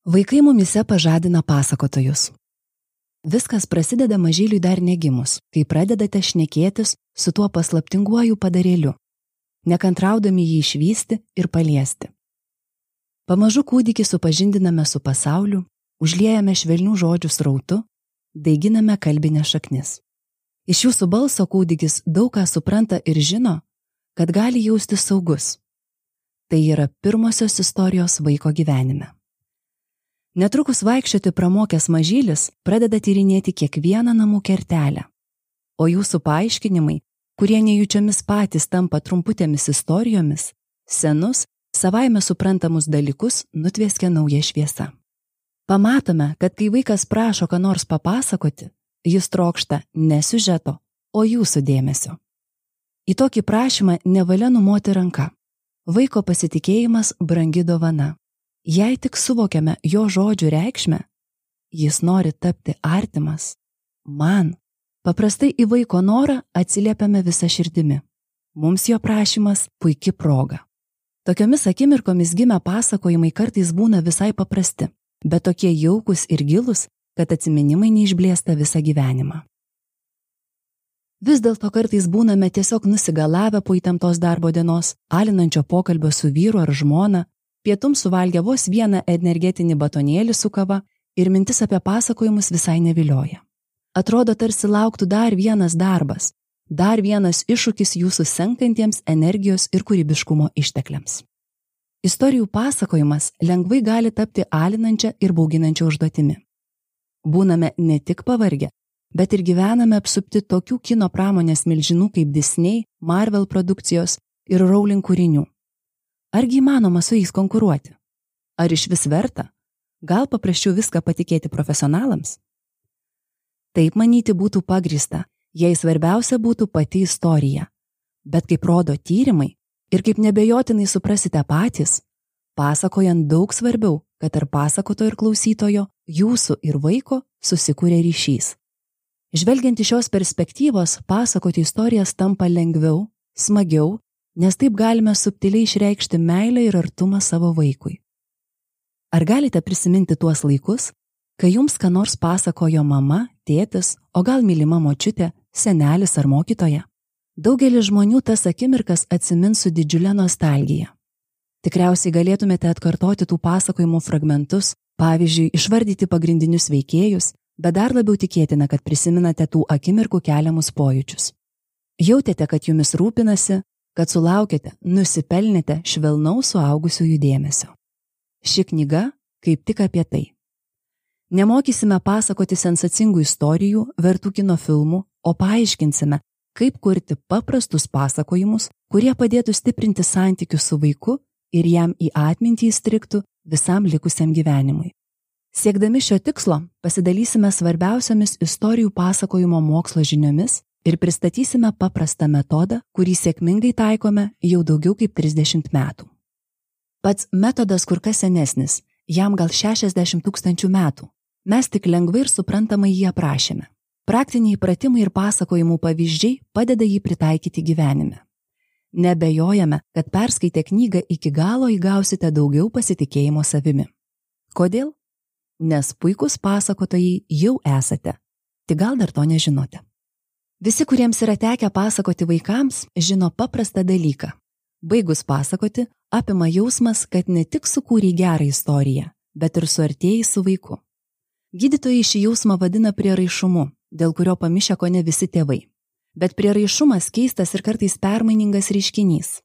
Vaikai mumise pažadina pasakotojus. Viskas prasideda mažyliui dar negimus, kai pradedate šnekėtis su tuo paslaptinguoju padarėliu, nekantraudami jį išvysti ir paliesti. Pamažu kūdikį supažindiname su pasauliu, užliejame švelnių žodžių srautu, daiginame kalbinės šaknis. Iš jūsų balso kūdikis daug ką supranta ir žino, kad gali jaustis saugus. Tai yra pirmosios istorijos vaiko gyvenime. Netrukus vaikščioti pramokęs mažylis pradeda tyrinėti kiekvieną namų kertelę, o jūsų paaiškinimai, kurie nejučiomis patys tampa trumputėmis istorijomis, senus, savaime suprantamus dalykus nutvieskia nauja šviesa. Pamatome, kad kai vaikas prašo ką nors papasakoti, jis trokšta ne siužeto, o jūsų dėmesio. Į tokį prašymą nevalia numoti ranka. Vaiko pasitikėjimas brangi dovana. Jei tik suvokiame jo žodžių reikšmę, jis nori tapti artimas. Man, paprastai į vaiko norą atsiliepiame visą širdimi. Mums jo prašymas puiki proga. Tokiomis akimirkomis gimę pasakojimai kartais būna visai paprasti, bet tokie jaukus ir gilus, kad atsiminimai neišblėsta visą gyvenimą. Vis dėlto kartais būname tiesiog nusigalavę po įtemptos darbo dienos, alinančio pokalbio su vyru ar žmona, pietums suvalgę vos vieną energetinį batonėlį su kava ir mintis apie pasakojimus visai nevilioja. Atrodo, tarsi lauktų dar vienas darbas, dar vienas iššūkis jūsų senkantiems energijos ir kūrybiškumo ištekliams. Istorijų pasakojimas lengvai gali tapti alinančia ir bauginančia užduotimi. Būname ne tik pavargę, bet ir gyvename apsupti tokių kino pramonės milžinų kaip Disney, Marvel produkcijos ir Rowling kūrinių. Argi įmanoma su jais konkuruoti? Ar iš vis verta? Gal paprasčiau viską patikėti profesionalams? Taip manyti būtų pagrįsta, jei svarbiausia būtų pati istorija. Bet kaip rodo tyrimai ir kaip nebejotinai suprasite patys, pasakojant daug svarbiau, kad tarp pasakotojo ir klausytojo, jūsų ir vaiko susikūrė ryšys. Žvelgiant iš šios perspektyvos, pasakoti istorijas tampa lengviau, smagiau, nes taip galime subtiliai išreikšti meilę ir artumą savo vaikui. Ar galite prisiminti tuos laikus, kai jums ką nors pasakojo mama, tėtis, o gal mylima močiutė, senelis ar mokytoja? Daugelis žmonių tas akimirkas atsimins su didžiulė nostalgija. Tikriausiai galėtumėte atkartoti tų pasakojimų fragmentus, pavyzdžiui, išvardyti pagrindinius veikėjus, bet dar labiau tikėtina, kad prisiminate tų akimirkų keliamus pojūčius. Jautėte, kad jumis rūpinasi, kad sulaukėte, nusipelnėte švelnaus suaugusiųjų dėmesio. Ši knyga kaip tik apie tai. Nemokysime pasakoti sensacingų istorijų, vertų kino filmų, o paaiškinsime, kaip kurti paprastus pasakojimus, kurie padėtų stiprinti santykius su vaiku ir jam į atmintį įstrigtų visam likusiam gyvenimui. Siekdami šio tikslo pasidalysime svarbiausiomis istorijų pasakojimo mokslo žiniomis ir pristatysime paprastą metodą, kurį sėkmingai taikome jau daugiau kaip 30 metų. Pats metodas kur kas senesnis, jam gal 60 000 metų. Mes tik lengvai ir suprantamai jį aprašėme. Praktiniai pratimai ir pasakojimų pavyzdžiai padeda jį pritaikyti gyvenime. Nebejojame, kad perskaitę knygą iki galo įgausite daugiau pasitikėjimo savimi. Kodėl? Nes puikūs pasakotojai jau esate, tik gal dar to nežinote. Visi, kuriems yra tekę pasakoti vaikams, žino paprastą dalyką. Baigus pasakoti, apima jausmas, kad ne tik sukūrei gerą istoriją, bet ir suartėjai su vaiku. Gydytojai šį jausmą vadina prieraišumu, dėl kurio pamišę kone visi tėvai. Bet prieraišumas keistas ir kartais permainingas reiškinys.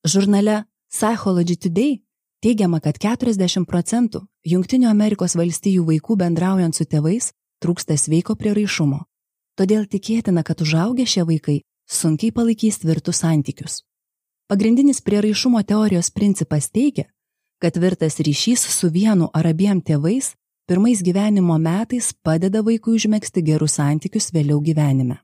Žurnale Psychology Today teigiama, kad 40% Jungtinių Amerikos valstijų vaikų bendraujant su tėvais trūksta sveiko prieraišumo. Todėl tikėtina, kad užaugę šie vaikai sunkiai palaikys tvirtus santykius. Pagrindinis prieraišumo teorijos principas teigia, kad tvirtas ryšys su vienu ar abiem tėvais pirmais gyvenimo metais padeda vaikui užmegzti gerus santykius vėliau gyvenime.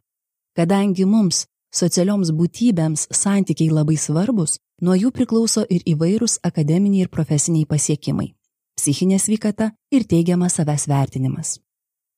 Kadangi mums, socialioms būtybėms, santykiai labai svarbus, nuo jų priklauso ir įvairūs akademiniai ir profesiniai pasiekimai, psichinė sveikata ir teigiamas savęs vertinimas.